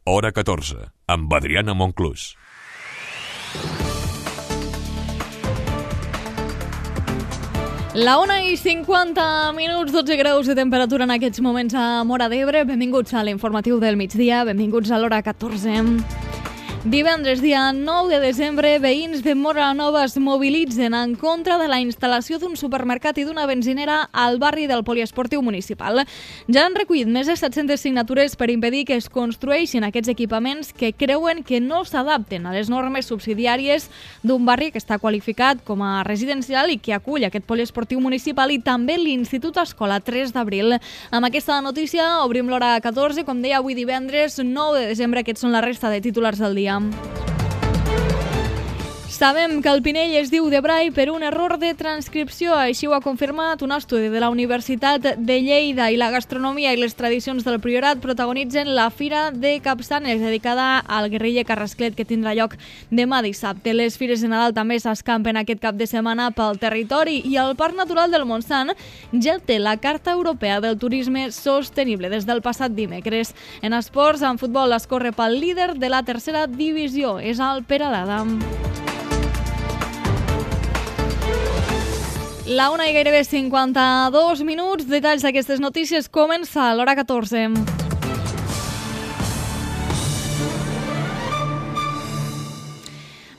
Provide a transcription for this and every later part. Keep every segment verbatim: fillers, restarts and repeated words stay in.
Hora catorze, amb Adriana Monclús. La una i cinquanta minuts, dotze graus de temperatura en aquests moments a Móra d'Ebre. Benvinguts a l'informatiu del migdia, benvinguts a l'hora catorze. Divendres, dia nou de desembre, veïns de Móra la Nova es mobilitzen en contra de la instal·lació d'un supermercat i d'una benzinera al barri del poliesportiu municipal. Ja han recollit més de set-centes signatures per impedir que es construeixin aquests equipaments que creuen que no s'adapten a les normes subsidiàries d'un barri que està qualificat com a residencial i que acull aquest poliesportiu municipal i també l'Institut Escola tres d'abril. Amb aquesta notícia obrim l'hora catorze, com deia avui divendres nou de desembre. Aquests són la resta de titulars del dia. Sabem que el Pinell es diu de Brai per un error de transcripció. Així ho ha confirmat un estudi de la Universitat de Lleida, i la gastronomia i les tradicions del Priorat protagonitzen la Fira de Capçanes, dedicada al guerriller Carrasclet, que tindrà lloc demà dissabte. Les fires de Nadal també s'escampen aquest cap de setmana pel territori, i el Parc Natural del Montsant ja té la Carta Europea del Turisme Sostenible des del passat dimecres. En esports, en futbol, es corre pel líder de la tercera divisió, és el Peralada. La una i gairebé cinquanta-dos minuts, detalls d'aquestes notícies, comença a l'hora catorze.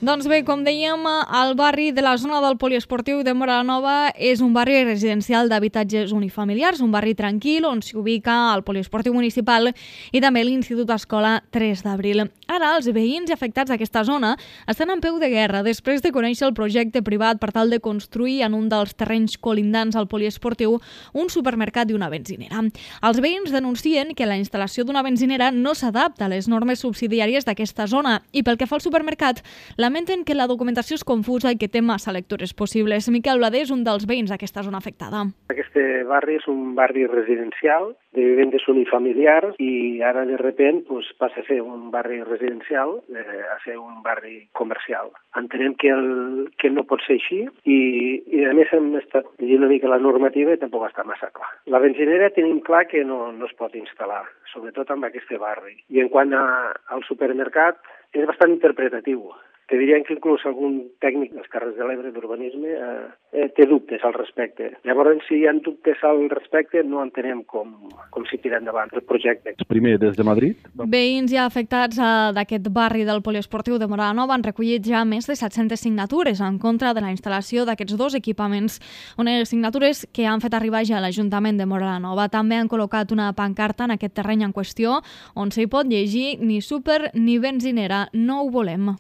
Doncs bé, com dèiem, el barri de la zona del poliesportiu de Móra la Nova és un barri residencial d'habitatges unifamiliars, un barri tranquil on s'hi ubica el poliesportiu municipal i també l'Institut Escola tres d'abril. Ara, els veïns afectats d'aquesta zona estan en peu de guerra després de conèixer el projecte privat per tal de construir en un dels terrenys colindants al poliesportiu un supermercat i una benzinera. Els veïns denuncien que la instal·lació d'una benzinera no s'adapta a les normes subsidiàries d'aquesta zona i pel que fa al supermercat, lamenten que la documentació és confusa i que té massa lectures possibles. Miquel Bladé és un dels veïns d'aquesta zona afectada. Aquest barri és un barri residencial de vivendes unifamiliars i ara de repent pues, passa a ser un barri residencial eh, a ser un barri comercial. Entenem que, el, que no pot ser així i, i a més hem estat llegint una mica la normativa i tampoc està massa clar. La benzinera tenim clar que no, no es pot instal·lar, sobretot en aquest barri. I en quant a, al supermercat, és bastant interpretatiu. Te dirien que inclús algun tècnic dels Terres de l'Ebre d'urbanisme eh, eh, té dubtes al respecte. Llavors, si hi ha dubtes al respecte, no entenem com, com s'hi tira endavant el projecte. Primer, des de Madrid. Veïns ja afectats eh, d'aquest barri del poliesportiu de Móra la Nova han recollit ja més de set-centes signatures en contra de la instal·lació d'aquests dos equipaments. Unes signatures que han fet arribar ja a l'Ajuntament de Móra la Nova. També han col·locat una pancarta en aquest terreny en qüestió on s'hi pot llegir ni súper ni benzinera, no ho volem.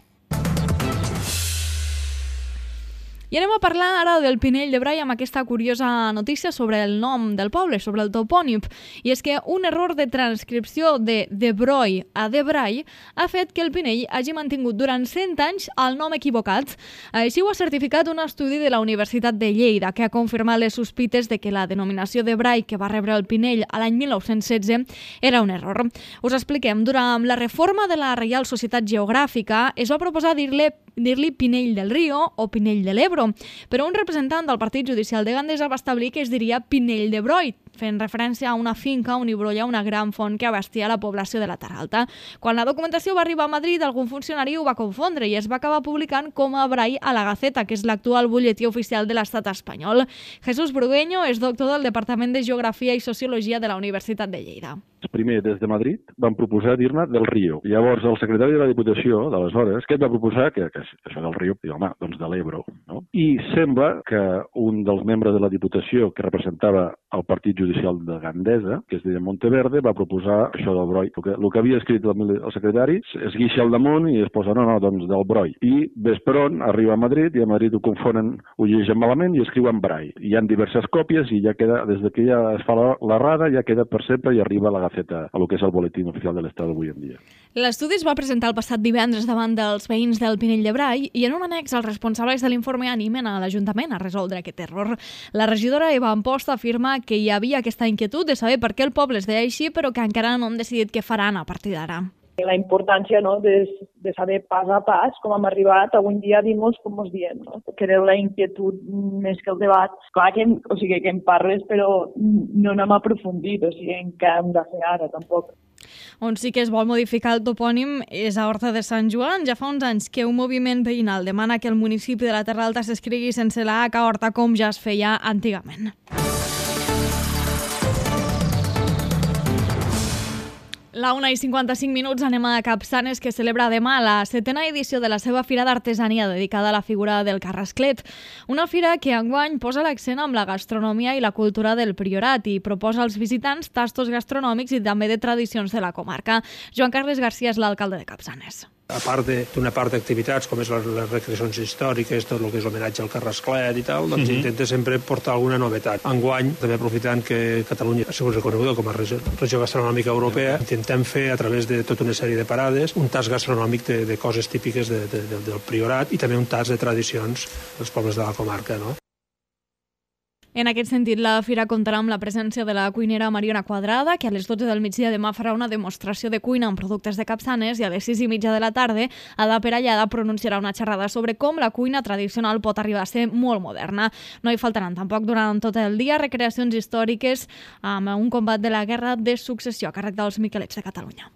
I anem a parlar ara del Pinell de Brai amb aquesta curiosa notícia sobre el nom del poble, sobre el topònim. I és que un error de transcripció de De Broi a De Brai ha fet que el Pinell hagi mantingut durant cent anys el nom equivocat. Així ho ha certificat un estudi de la Universitat de Lleida, que ha confirmat les sospites de que la denominació de Brai que va rebre el Pinell a l'any mil nou-cents setze era un error. Us expliquem. Durant la reforma de la Reial Societat Geogràfica es va proposar dir-li dir-li Pinell del Río o Pinell de l'Ebro, però un representant del Partit Judicial de Gandesa va establir que es diria Pinell de Broi, fent referència a una finca on hi brolla una gran font que abastia la població de la Terra Alta. Quan la documentació va arribar a Madrid, algun funcionari ho va confondre i es va acabar publicant com a Brai a la Gaceta, que és l'actual butlletí oficial de l'estat espanyol. Jesús Brugueño és doctor del Departament de Geografia i Sociologia de la Universitat de Lleida. Primer, des de Madrid, van proposar dir-ne del Río. Llavors, el secretari de la Diputació, d'aleshores, què et va proposar? Que, que això del Río, i home, doncs de l'Ebro, no? I sembla que un dels membres de la Diputació que representava el Partit Judicial de Gandesa, que es deia Monteverde, va proposar això del Broi. El que, el que havia escrit el, el secretari es guixa al damunt i es posa, no, no, doncs del Broi. I ves per on, arriba a Madrid, i a Madrid ho confonen, ho llegeixen malament i escriuen Brai. Hi ha diverses còpies i ja queda, des que ja es fa l'errada, ja queda per sempre i arriba a la Gaceta, a lo que és el boletín oficial de l'Estat avui en dia. L'estudi es va presentar el passat divendres davant dels veïns del Pinell de Brai i en un annex els responsables de l'informe animen a l'Ajuntament a resoldre aquest error. La regidora Eva Amposta afirma que hi havia aquesta inquietud de saber per què el poble es deia així, però que encara no han decidit què faran a partir d'ara. La importància, no, de, de saber pas a pas com hem arribat avui en dia a dir-nos com ens diem, no? Que era la inquietud més que el debat. Clar que, o sigui, que en parles, però no n'hem aprofundit, o sigui, en què hem de fer ara, tampoc. On sí que es vol modificar el topònim és a Horta de Sant Joan. Ja fa uns anys que un moviment veïnal demana que el municipi de la Terra Alta s'escrigui sense la H a Horta, com ja es feia antigament. La una i cinquanta-cinc minuts anem a Capçanes, que celebra demà la setena edició de la seva Fira d'Artesania dedicada a la figura del Carrasclet. Una fira que enguany posa l'accent amb la gastronomia i la cultura del Priorat i proposa als visitants tastos gastronòmics i també de tradicions de la comarca. Joan Carles Garcia és l'alcalde de Capçanes. A part d'una part d'activitats com és les, les recreacions històriques, tot el que és l'homenatge al Carrasclet i tal, doncs uh-huh. intenta sempre portar alguna novetat. Enguany, també aprofitant que Catalunya ha sigut reconeguda com a regió, regió gastronòmica europea, intentem fer a través de tota una sèrie de parades un tas gastronòmic de, de coses típiques de, de, de, del Priorat i també un tas de tradicions dels pobles de la comarca, no? En aquest sentit, la fira comptarà amb la presència de la cuinera Mariona Quadrada, que a les dotze del migdia demà farà una demostració de cuina amb productes de Capçanes, i a les sis i mitja de la tarda, Ada Perallada pronunciarà una xerrada sobre com la cuina tradicional pot arribar a ser molt moderna. No hi faltaran tampoc durant tot el dia recreacions històriques amb un combat de la Guerra de Successió a càrrec dels Miquelets de Catalunya.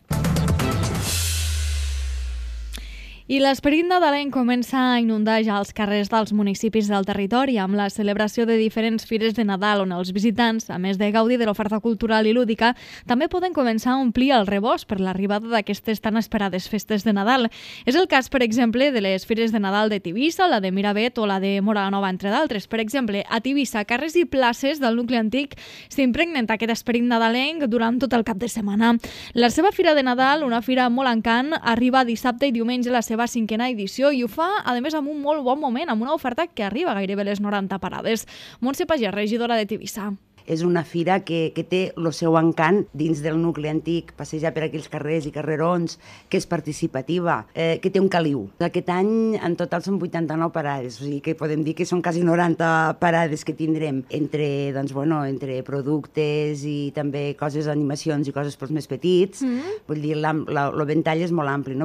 I l'esperit nadalenc comença a inundar ja els carrers dels municipis del territori amb la celebració de diferents fires de Nadal on els visitants, a més de gaudir de l'oferta cultural i lúdica, també poden començar a omplir el rebost per l'arribada d'aquestes tan esperades festes de Nadal. És el cas, per exemple, de les fires de Nadal de Tivissa, la de Miravet o la de Móra la Nova, entre d'altres. Per exemple, a Tivissa, carrers i places del nucli antic s'impregnen d'aquest esperit nadalenc durant tot el cap de setmana. La seva fira de Nadal, una fira molt encant, arriba dissabte i diumenge a la seva cinquena edició i ho fa, a més, amb un molt bon moment, amb una oferta que arriba gairebé les noranta parades. Montse Pagès, regidora de Tivissa. És una fira que, que té el seu encant dins del nucli antic, passejar per aquells carrers i carrerons, que és participativa, eh, que té un caliu. Aquest any en total són vuitanta-nou parades, o sigui que podem dir que són quasi noranta parades que tindrem entre, doncs, bueno, entre productes i també coses, animacions i coses pels més petits. Mm. Vull dir, el ventall és molt ampli, no?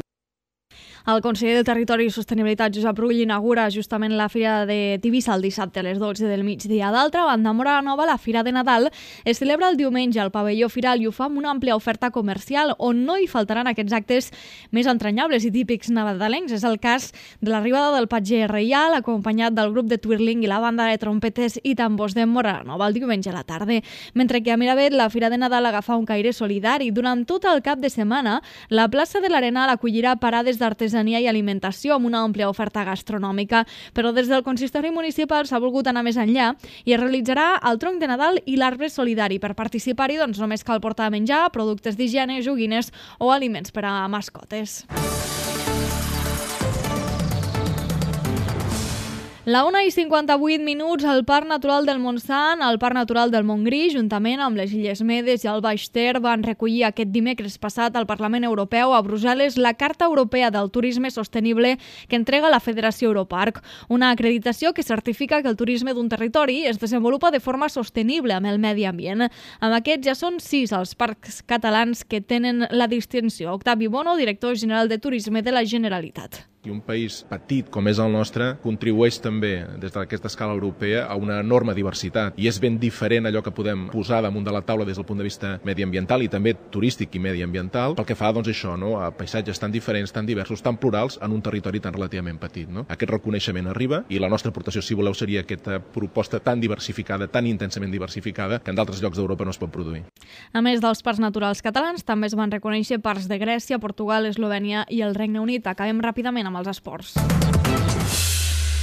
El conseller de Territori i Sostenibilitat, Josep Rull, inaugura justament la Fira de Tivissa el dissabte a les dotze del migdia. D'altra banda, a Móra la Nova, la Fira de Nadal es celebra el diumenge al pavelló Firal i ho fa amb una àmplia oferta comercial on no hi faltaran aquests actes més entranyables i típics nadalencs. És el cas de l'arribada del patger reial, acompanyat del grup de twirling i la banda de trompetes i tambors de Móra la Nova el diumenge a la tarda. Mentre que a Miravet, la Fira de Nadal agafa un caire solidari. Durant tot el cap de setmana, la plaça de l'Arenal acollirà parades d'artesania i alimentació amb una àmplia oferta gastronòmica, però des del consistori municipal s'ha volgut anar més enllà i es realitzarà el tronc de Nadal i l'arbre solidari. Per participar-hi, doncs, només cal portar menjar, productes d'higiene, joguines o aliments per a mascotes. La una i cinquanta-vuit minuts al Parc Natural del Montsant, al Parc Natural del Montgrí, juntament amb les Illes Medes i el Baix Ter, van recollir aquest dimecres passat al Parlament Europeu a Brussel·les la Carta Europea del Turisme Sostenible que entrega la Federació Europarc, una acreditació que certifica que el turisme d'un territori es desenvolupa de forma sostenible amb el medi ambient. Amb aquests ja són sis els parcs catalans que tenen la distinció. Octavi Bono, director general de Turisme de la Generalitat. I un país petit com és el nostre contribueix també des d'aquesta escala europea a una enorme diversitat i és ben diferent allò que podem posar damunt de la taula des del punt de vista mediambiental i també turístic i mediambiental pel que fa, doncs, això, no? A paisatges tan diferents, tan diversos, tan plurals en un territori tan relativament petit, no? Aquest reconeixement arriba i la nostra aportació, si voleu, seria aquesta proposta tan diversificada, tan intensament diversificada que en d'altres llocs d'Europa no es pot produir. A més dels parcs naturals catalans, també es van reconèixer parcs de Grècia, Portugal, Eslovènia i el Regne Unit. Acabem ràpidament amb els esports.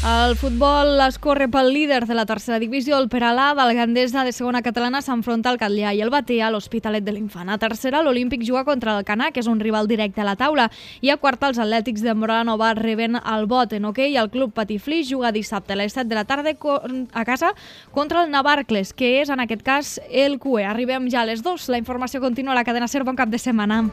El futbol es corre pel líder de la tercera divisió, el Peralada. El Gandesa de segona catalana s'enfronta al Catllar i el Batea a l'Hospitalet de l'Infant. A tercera, l'Olímpic juga contra el Canà, que és un rival directe a la taula. I a quarta, els Atlètics de Móra la Nova reben el Bot. En hoquei, el Club Patiflix juga dissabte a les set de la tarda a casa contra el Navarcles, que és en aquest cas el Q E. Arribem ja a les dues. La informació continua a la cadena SER. Bon cap de setmana.